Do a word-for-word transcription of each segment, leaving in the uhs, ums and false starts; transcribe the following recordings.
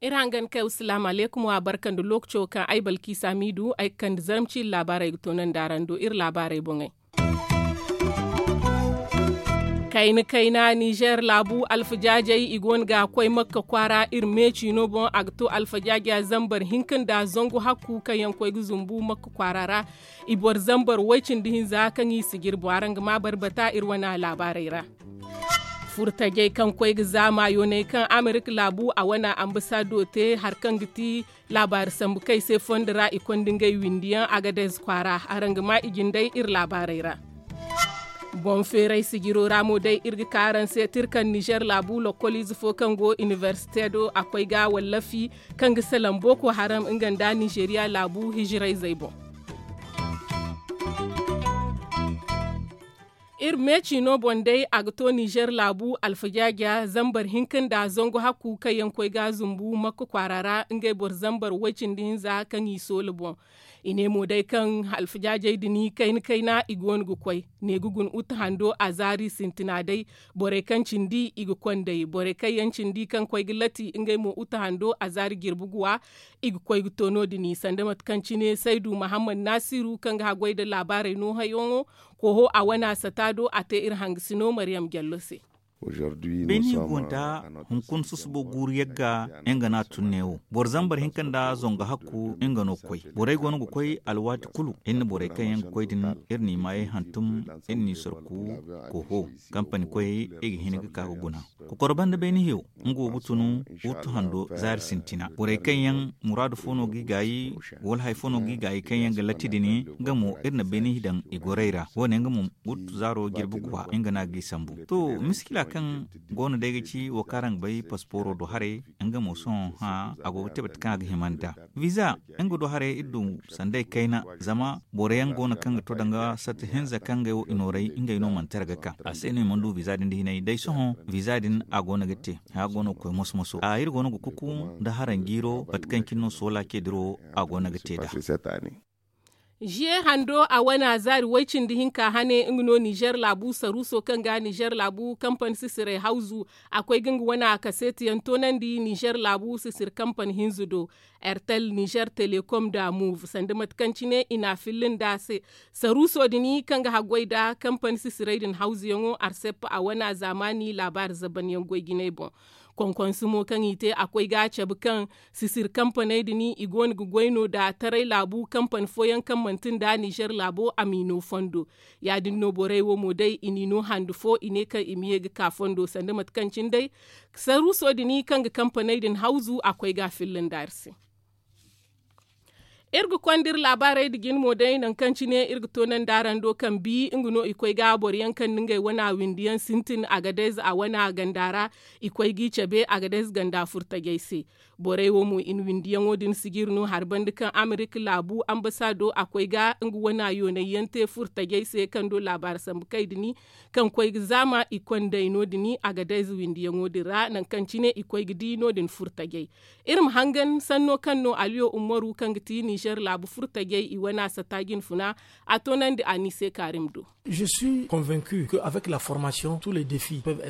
Iri hangan kay wa salaamu alaykum wa barka nda lookaco kaŋ ay balkiisa miidu ay ga kande zarma ciiri laabaarey ga toonandi araŋ do iri laabaarey boŋey. Kayna kayna nizer laabu alfajaajey i go no ga koy makka kwaara iri meeciino boŋ a ga to alfajaaja zambar hinka nda zangu hakku kaŋ yaŋ koy ga zumbu makka kwaara ra. I boro zambar way-cindi hinza kaŋ i si jirbu araŋ ga ma barbata iri wane laabaarey ra. Furtajey kaŋ koy ga zaama yooney kaŋ amerika laabu a wane ambasado te hari kaŋ ga ti laabaari sambu kay se fondo ra i konda ngey windiyaŋ agadez kwaara. Araŋ ga ma i jindey iri laabaarey ra. Boŋ feeray sijiro ra mo day iri ga ka araŋ se tira kaŋ nizer laabu lokoliize fo kaŋ go iniversite do a koy ga wallafi kaŋ ga salaŋ boko haram nga nda nizeriya laabu hijirayzey boŋ. Iri meeciino boŋ day a ga to nizer laabu alfajaaja zambar hinka nda zangu hakku kaŋ yaŋ koy ga zumbu makka kwaara ra ngey boro zambar way-cindi hinza kaŋ i soola boŋ. I ne mo day kaŋ alfajaajey din kayna kayna i go no ga koy ne ga guna uta hando a zaari sintina day. Borey kaŋ cindi i ga konday borey kaŋ yaŋ cindi kaŋ koy ga lati ngey mo uta hando a zaari jirbi guwa. I ga koy ga to no- din sanda mate kaŋ cine saydu mahammad nasiru kaŋ ga haggoy nda laabaarey no hayoŋo. Koho a wane a sata do a te iri hangasino maryam jallo se. Beeni go nda hunkuna susubo guuru yagga nga no a tun neewo boro zambar hinka nda zangu hakku nga no koy. Borey go no ga koy alwaati kulu iri na borey kaŋ yaŋ ga koy din iri n'i maayey hantum iri n'i sorku. Koho kampani koyey i ga hin ga ka ga guna. Kokoro banda beeni hiyo nga wo ga tun wuttu hando zaari sintina borey kaŋ yaŋ muraadu fo no g'i gaayi wala hari fo no g'i gaayi kaŋ yaŋ ga latti din nga mo iri na beeni hi daŋ i gorey ra wo- ne nga mo wuttu zaaro jirbi guwa nga no a g'i sambu. To miskila kaŋ go no day ga ci wo kaŋ araŋ ga bay pasporo do haray nga mo sohõ hã a go ga te mate kaŋ a ga hima nd'a. Wiiza nga do haray iri du sanday kayna zama boro yaŋ go no kaŋ ga to danga sata hinza kaŋ ngey wo i nooray ngey no manti ra ga ka a se no i mana du wiiza din da hinay day sohõ. Wiiza din a go no ga te hã go no ga koy moso moso a iri go no ga kuku nda haranjiiro mate kaŋ cine no soola ce diro a go no ga te nd'a. Ziye hando a wane a zaari way-cindi hinka hane nga no nizer laabu saruuso kaŋ ga nizer laabu kampani sisiray hawzu. A koy ga nga wane a kaseetiyaŋ toonandi nizer laabu sisir kampani hinza do. Ertel nizer telekom nda move sanda mate kaŋ cine i n'a filla nd'a se. Saruuso din kaŋ ga haggoy nda kampani sisiray din hawzuyaŋo arsep a wane a zaamaani laabaari zabanyaŋ goy jinay boŋ. Konkonse mo kaŋ i te a koy ga a cabe kaŋ sisir kampaney din i go no ga goy no nda taray laabu kampani fooyaŋ kaŋ manti nda nizer laabo a m'i no fondo. Ya- din no borey wo mo day i n'i no hande fo i ne kaŋ i ma ye ga ka fondo sanda mate kaŋ cine day saruuso din kaŋ ga kampaney din hawzu a koy ga a filla nda ari se. Iri ga konda iri laabaarey nda jine mo day nangu kaŋ cine iri ga toonandi araŋ do kaŋ bi nga no i koy ga boro yaŋ kaŋ nda ngey wane a windi yaŋ sintin agadez a wane a ganda ra. I koy g'i cabe agadez ganda furtajey se. Borey wo mo i na windiyaŋo din sijiri no hari banda kaŋ amerika laabu ambasaado a koy ga nga wane a yoonay yaŋ te furtajey se kaŋ do laabaari sambu kay din kaŋ koy ga zaama i kondey no- din agadez windiyaŋo din ra nangu kaŋ cine i koy ga di no- din furtajey. Iri ma hangan sanno kaŋ no aliyo umaru kaŋ ga ti nizer laabu furtajey i wane a sata jinfuna. A toonandi a n'i se kaarim do.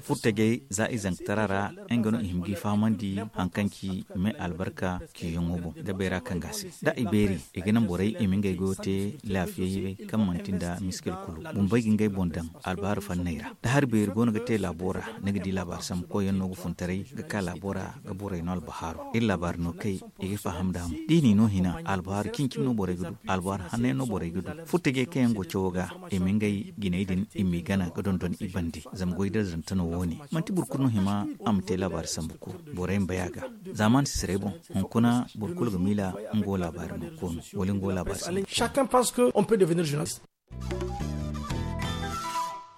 Furtajey za i zankatara ra nga no i hima g'i fahamandi hari kaŋ ci me albarka ciyaŋo boŋ da bayra kaŋ ga a se da i beeri i ga naŋ borey i ma ngey goyo te laafiyayye kaŋ manti nda miskil kulu bumbey ga ngey boŋ daŋ. Albahaari fanney ra da hari beeri go no ga te laabo ra ni ga di laabaari sambu koyyaŋ no ga funtaray ga ka laabo ra ga borey no albahaaro iri laabaari no kay i ga faham nd'a mo da i n'i no hina albahaari cin-cin no borey ga du albahaari hanney no borey ga du. Furtajey kaŋ yaŋ go cawo ga i ma ngey jinay din i m'i gana ga dondon i bande zama goy darzanta no wo- ne manti boro kulu no hima a ma te laabaari sambu kulu. Borey ma bay a ga zaamaani sisirey boŋ hunkuna boro kulu ga miila nga wo laabaari no koonu wala nga wo laabaari sambu kulu.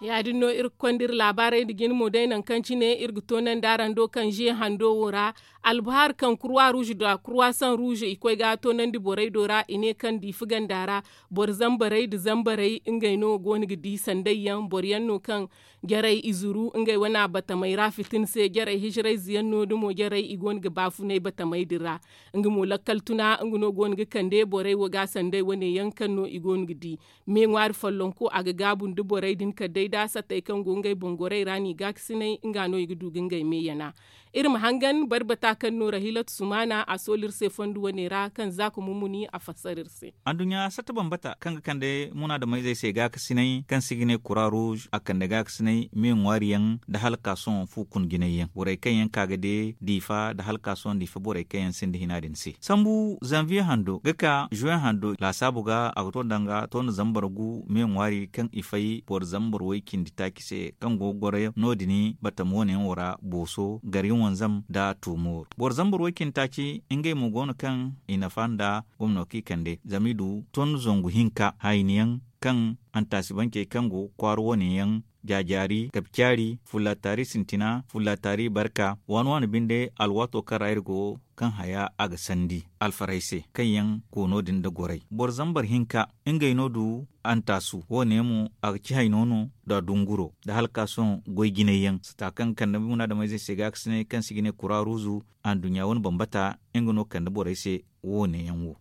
Ya- din no iri ga konda iri laabaarey nda jine mo day nangu kaŋ cine iri ga toonandi araŋ do kaŋ ze hando wo ra. Albuhar kaŋ kurwa ruuz nda kurwa san ruuz i koy ga a toonandi borey do ra i ne kaŋ diifa ganda ra boro zambarey nda zambarey ngey no go no ga di sanday yaŋ boro yaŋ no kaŋ jarey i zuru ngey wane batamey ra fitina se jarey hijirayze yaŋ no da mo jarey i go no ga baafunay batamey din ra. Nga mo lakkal tuna nga no go no ga kande borey wo ga sanday wane yaŋ kaŋ no i go no ga di. Me ŋwaari follonko a ga gaabu nda borey din kala day da sattey kaŋ go ngey boŋ gorey ra no i gaakasinay nga no i ga du ga ngey me yana. Iri ma hangan barbata kaŋ no rahilatu sumaana a soolu iri se fondo wane ra kaŋ za ka mumuni a fassara iri se. Adduɲɲa satta bambata kaŋ ga kande munaadameyzey se gaakasinay kaŋ se i ga ne kura ruuz a kande gaakasinay me ŋwaari yaŋ nda halkaasoŋ fu kun jinay yaŋ borey kaŋ yaŋ ka ga de diifa nda halkaasoŋ diifa borey kaŋ yaŋ sinda hina din se sambu zanviye hando ga ka zuwe hando laasaabu ga a ga to danga to nda zambar gu me ŋwaari kaŋ i fay boro zambar way cindi taaci se kaŋ go ga goro no- din batama wane yaŋ wo ra booso gari wanzam nda tuumor boro zambar way cindi taaci ngey mo go no kaŋ i nafa nda gomno kaŋ i kande zama i du ton zangu hinka hayni yaŋ kaŋ antaasibancey kaŋ go kwaara wane yaŋ jaajaari kabi caari fulla taari sintina fulla taari barka waani waani binde alwaato kaŋ ra iri go kaŋ haya a ga sandi alfarey se kaŋ yaŋ koono din nda gorey boro zambar hinka ngey no du antaasu wane mo a ga ci hayno no nda dunguro nda halkaasoŋ goy jinay yaŋ sata kaŋ ga kande munaadameyzey se gaakasinay kaŋ se i ga ne kura ruuzu anduɲɲa wane bambata nga no kande borey se wane yaŋ wo.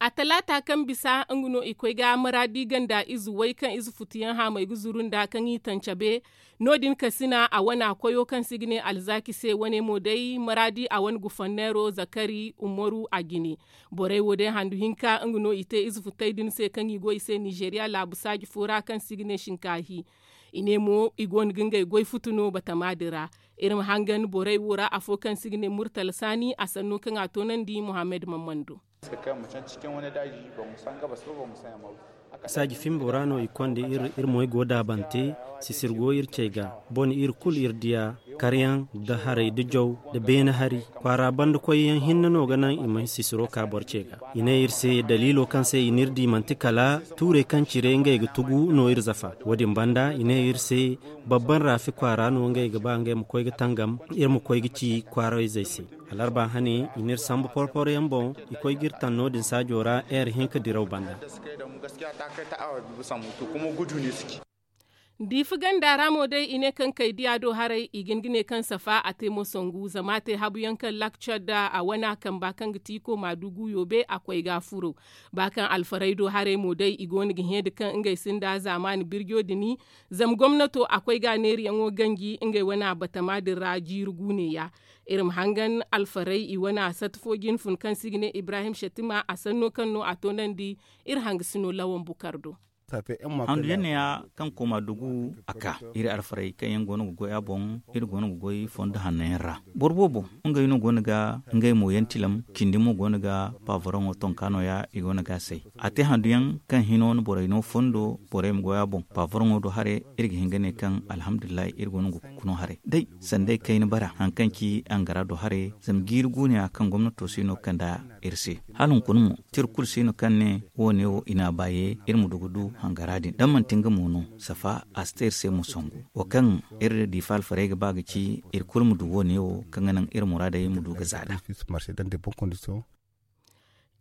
A talaata kaŋ bisa nga no i koy ga maraadi ganda ize way kaŋ ize futuyaŋ haamay ga zuru nda kaŋ i taŋ cabe no- din kasina a wana koyo kaŋ se i ga ne alzaaki se wane mo day maraadi a wane gufanneero zakari umaru a jine. Borey wo day handu hinka nga no i te ize futey din se kaŋ i go i se nizeeriya laabu saaji fo ra kaŋ se i ga ne shinkaahi. I ne mo i go no ga ngey goy futu no batama din ra. Iri ma hangan borey wo ra afo kaŋ se i ga ne murtala saani a sanno kaŋ a toonandi muhammad mammando. Saaji fimbo ra no i konda iri moy go daabante. Sisir go iri cey ga bone iri kulu iri diya karyaŋ nda haray nda jaw nda beene hari kwaara banda koyyaŋ hinne no ga naŋ i ma sisiro ka boro cey ga. I ne iri se daliilo kaŋ se i n'iri di manti kala tuurey kaŋ cire ngey ga tugu no iri zafa. Wo- din banda i ne iri se babban raafi kwaara no ngey ga ba ngey ma koy ga tangam iri ma koy ga ci kwaarayzey se. Alarba hane i n'iri sambu porporo yaŋ boŋ i koy ga iri taŋ no- din saajo ra eer hinka diraw banda. Diifa ganda ra mo day i ne kaŋ kay diya do haray i ga hin ga ne kaŋ safa a te mo sangu zama a te habu yaŋ kaŋ lakcar da a wana kamba kaŋ ga ti iko maadugu yoobe a koy ga a furo. Ba kaŋ alfarey do haray mo day i go no ga hẽ da kaŋ ngey sinda zaamaani birjo dini. Zama gomnato a koy ga a neeriyaŋo ganji ngey wana batama din ra jiiri guuneya. Iri ma hangan alfarey i wana sata fo jine fun kaŋ se i ga ne ibrahim shatima a sanno kaŋ no a toonandi. Iri hangasino lawan bukar do. Handu yaŋ neeya kaŋ kooma dugu a ka iri alfarey kaŋ yaŋ go no ga goy a boŋ. Iri go no ga goy fondo hanno yaŋ ra boro boobo ngey no go no ga ngey mo yaŋ tilam cindi mo go no ga paavoroŋo tonka nooya i go no ga a say. A te handu yaŋ kaŋ hino no borey no fondo borey ma goy a boŋ paavoroŋo do haray. Iri ga hin ga ne kaŋ alhamdulillahi iri go no ga kukuno haray day sanda ay kayna bara hari kaŋ ci angara do haray zama jiiri guuneya kaŋ gomnato si no ga kande iri se. Hala hunkuna mo tira kulu si no kaŋ ne wo- ne wo i n'a baaye iri ma du ga du hangara din da manti nga mo no safa a si te iri se mo sangu. Wo kaŋ iri diifa alfarey ga ba ga ci iri kulu ma du wo- ne wo kaŋ ga naŋ iri muraadey ma du ga za nd'a.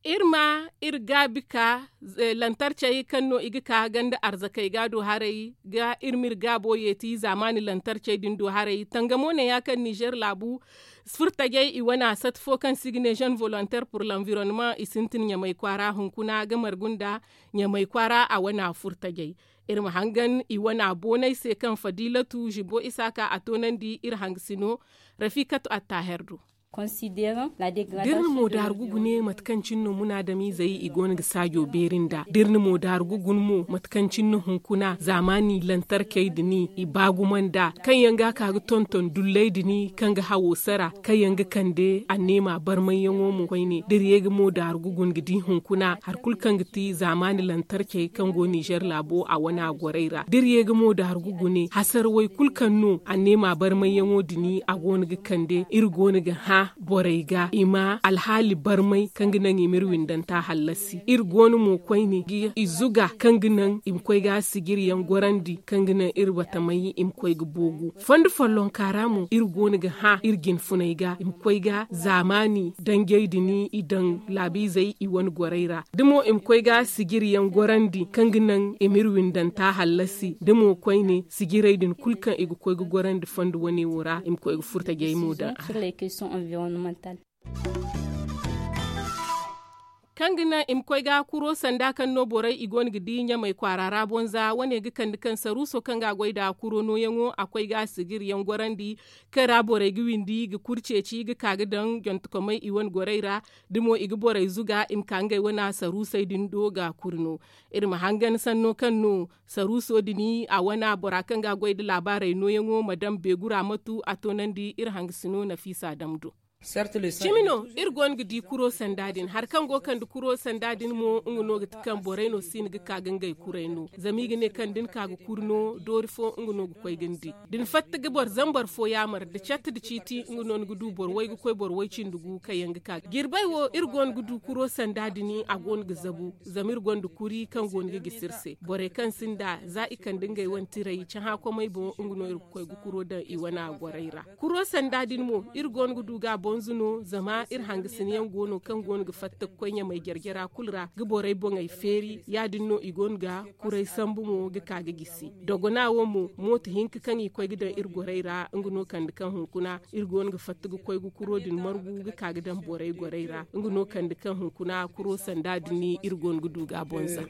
Iri ma iri gaabi ka lantarcey kaŋ no i ga ka ganda arzakey ga do haray ga iri ma iri gaabo yeeti zaamaani lantarcey din do haray tangamo ne ya kaŋ nizer laabu furtajey i wana sat fo kaŋ se i ga ne jeune volontaire pour l'environnement i sintin ɲamay kwaara hunkuna ga margu nda ɲamay kwaara a wana furtajey. Iri ma hangan i wana boonay se kaŋ fadilatu zibo isa ka a toonandi iri hangasino rafikatu attaher do. Da iri na mo daaru ga gune mate kaŋ cine no munaadamiizey i go no ga saajo beeri nd'a da iri na mo daaru ga gune mo mate kaŋ cine no hunkuna zaamaani lantarkey da ni i baaguma nd'a kaŋ yaŋ ga a ka ga tonton dulley da ni kaŋ ga hawo sara kaŋ yaŋ ga kande anneema barmayyaŋo mo koyne da iri ye ga mo daaru ga gune ga di hunkuna hari kulu kaŋ ga ti zaamaani lantarkey kaŋ go nizer laabo a wana gorey ra da iri ye ga mo daaru ga gune hasarawey kulu kaŋ no anneema barmayyaŋo da ni a go no ga kande iri go no ga hã. borey ga i ma alhaali barmay kaŋ ga naŋ i ma iri windanta hallasi. Iri go no mo koyne ga i zuga kaŋ ga naŋ i ma koy ga sijiri yaŋ gorandi kaŋ ga naŋ iri batamay i ma koy ga boogu. Fondo follonka ra mo iri go no ga hã iri jinfunay ga i ma koy ga zaamaani danjey din i daŋ laabiizey i wane gorey ra da mo i ma koy ga sijiri yaŋ gorandi kaŋ ga naŋ i ma iri windanta hallasi da mo koyne sijirey din kulu kaŋ i ga koy ga gorandi fondo wane wo ra i ma koy ga furtajey mo daŋ a ra. Kaŋ ga naŋ i ma koy ga kuro sanda kaŋ no borey i go no ga di ɲamay kwaara ra bonza wane ga kande kaŋ saruuso kaŋ ga a goy nda kuro nooyaŋo a koy ga sijiri yaŋ gorandi kaŋ ra borey ga windi ga kuri ceeci ga ka ga daŋ jontokomey i wane gorey ra da mo i ga borey zuga i ma ka ngey wane saruusey din do ga kuri no. Iri ma hangan sanno kaŋ no saruuso din a wane bora kaŋ ga a goy nda laabaarey nooyaŋo ma daŋ beegu ra matu a toonandi iri hangasino nafiisa daŋ do. Cimi no iri go no ga di kuro sanda din hari kaŋ go ga kande kuro sanda din mo nga no ga ti kaŋ borey no si ni ga ka ga ngey kurey no zama i ga ne kaŋ da ni ka ga kuri no doori fo nga no ga koy ga ni di da ni fatta ga boro zambar fo yaamar da catti da ciiti nga no ni ga du boro way ga koy boro way cindi gu kaŋ yaŋ ga ka jirbay wo iri go no ga du kuro sanda din a go no ga zabu zama iri gonda kuri kaŋ go no ga gisi iri se borey kaŋ sinda za i kande ngey wane tiray cahã komey boŋ nga no iri ga koy ga kuro daŋ i wane a gorey ra. Kuro sanda din mo iri go no ga du ga bonzu no zama iri hangasinayaŋ go no kaŋ go no ga fatta ga koy ɲamay jare-jara kulu ra ga borey boŋey feeri ya- din no i go no ga kuray sambu mo ga ka ga gisi dogona wo mo mooto hinka kaŋ i koy ga daŋ iri gorey ra nga no kande kaŋ hunkuna iri go no ga fatta ga koy ga kuro din margu ga ka ga daŋ borey gorey ra nga no kande kaŋ hunkuna kuro sanda din iri go no ga du ga bonza.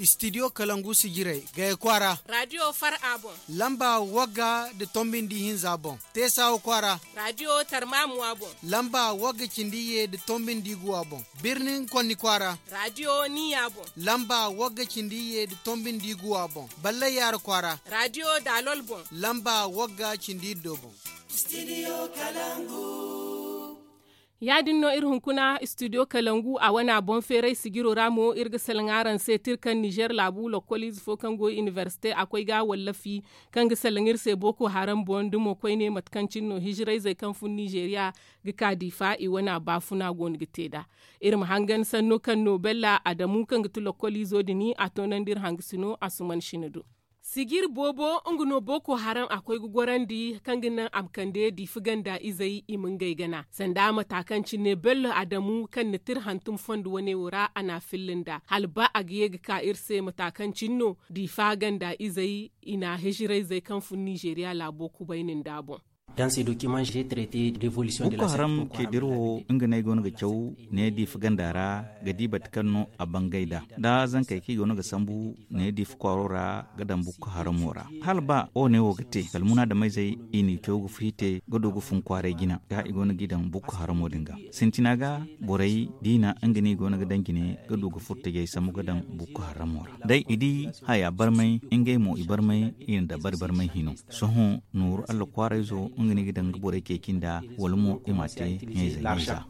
Studio kalangu sijirey gaya kwaara radio far a boŋ. Lamba wagga da tombindi hinza boŋ. Teesawa kwaara radio tarmamuwa boŋ. Lamba wagga cindi ye da tombindi guwa boŋ. Birnin konni kwaara radio niya boŋ. Lamba wagga cindi ye da tombindi guwa boŋ. Ballay yaara kwaara radio dalol boŋ. Lamba wagga cindi do boŋ. Ya- din no iri hunkuna studio kalangu a wane a boŋ feeray sijiro ra mo iri ga salaŋ araŋ se tira kaŋ nizer laabu lokkoliize fo kaŋ go iniversite a koy ga wallafi kaŋ ga salaŋ iri se boko haram boŋ da mo koyne mate kaŋ cine no hijirayzey kaŋ fun nizeriya ga ka diifa i wane a baafuna go no ga te nd'a. Iri ma hangan sanno kaŋ no bella adamu kaŋ ga ti lokkoliizo din a toonandi iri hangasino a suman sina do. Sijiri boobo nga no boko haram a koy ga gorandi kaŋ ga naŋ a ma kande diifa ganda izey i ma ngey gana sanda mata kaŋ cine bello adamu kaŋ na tira hantum fondo wane wo ra a na a filla nd'a hala ba a ga ye ga ka iri se mata kaŋ cine no diifa ganda izey i na hijirayzey kaŋ fun nizeriya laabo kubayni nd'a boŋ. Boko haram ceediri wo nga no ay go no ga caw ne diifa ganda ra ga di bate kaŋ no a bangay nd'a da zankey kaŋ i go no ga sambu ne diifa kwaaro ra ga daŋ boko haramo ra hala ba wo ne wo ga te kala munaadameyzey i n'i caw ga fiite ga du ga fun kwaaray jina ga i go no g'i daŋ boko haramo din ga sintina ga borey diina nga no i go no ga daŋ jine ga du ga furtajey sambu ga daŋ boko haramo ra day i di haya barmay ngey mo i barmay i na dabari barmay hino. Sohõ nooru allah kwaarayzo nga no i ga daŋ ga borey ceeci nd'a wala mo i m'a te ɲayze ɲayza.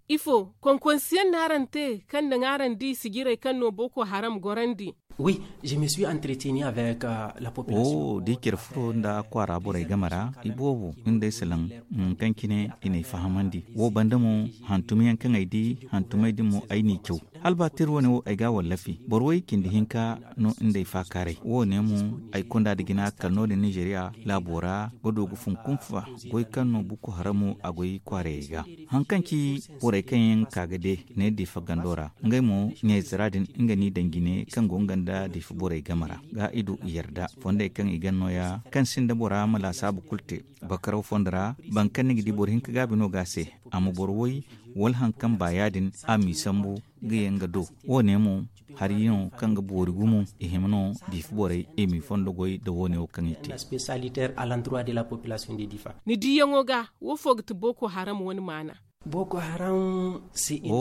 Ifo konkonsiyaŋ no araŋ te kaŋ naŋ araŋ di sijirey kaŋ no boko haram gorandi? Wi je me suis entretenu avec la population. Wo da i care furo nda kwaara borey game ra i boobo nga day salaŋ. Kaŋ cine i n'ay fahamandi wo banda mo hantumyaŋ kaŋ ay di hantumey din mo ay n'i caw hala ba tira wane wo ay ga a wallafi boro way cindi hinka no nd'ay faakaaray wo ne mo ay konda da jina kala no- din nizeeriya laabo ra ga du ga fun kunfa goy kaŋ no bukku haramo a goy kwaarayey ga. Haŋ kaŋ ci borey kaŋ yaŋ ga ka ga de ne diifa gando ra ngey mo ɲayze ra din nga n'i daŋ jine kaŋ go nga nda diifa borey game ra ga i du i yarda fondey kaŋ i gan nooya kaŋ sinda bora ma laasaabu kulu te bakaraw fondo ra. Boro kaŋ ni ga di boro hinka gaabi no ga a se a ma boro woy wala haŋ kaŋ ba ya- din a m'i sambu ga yaŋ ga do. Wo- ne mo hari no kaŋ ga boori gumo i hima no diifa borey i m'i fondo goy nda wo- ne wo kaŋ i te. Ni diiyaŋo ga wo fo ga ti boko haram wane maana? Boko haram si iri.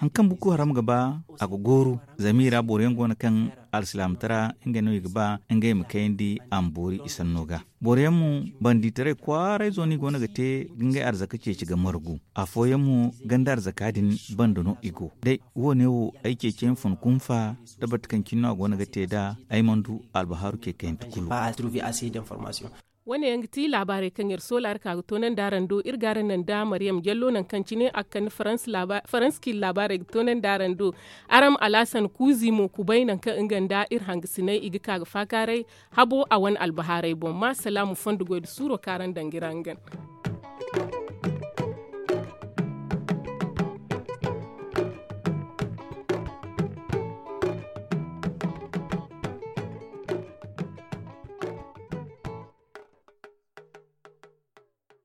Haŋ kaŋ boko haram ga ba, a ga gooru. Zama i ra boro yaŋ go no kaŋ alsilaamataray ngey no i ga ba ngey ma kayandi a ma boori i sanno ga. Boro yaŋ mo, bandiitaray kwaaray zo no i go no ga te ga ngey arzaka ceeci ga margu. Afooyaŋ mo, ganda arzaka din banda no i go. Day wo- ne wo, ay ceeci yaŋ fun kunfa, da bate kaŋ cine no a go no ga te nd'a, ay mana du albahaaru ce kayante kulu. Wo- ne yaŋ ga ti laabaarey kaŋ iri soola araŋ ka ga toonandi araŋ do. Iri ga araŋ naŋ da mariyam jallo nangu kaŋ cine a ga kande faransi laabaarey ga toonandi araŋ do. Araŋ ma alaasan kuuzi mo kubay nangu kaŋ nga nda iri hangasiney i ga ka ga faakaaray habo a wane albahaaray boŋ ma salaamu fondo goy nda suuro kaŋ araŋ daŋ ga iri hangan.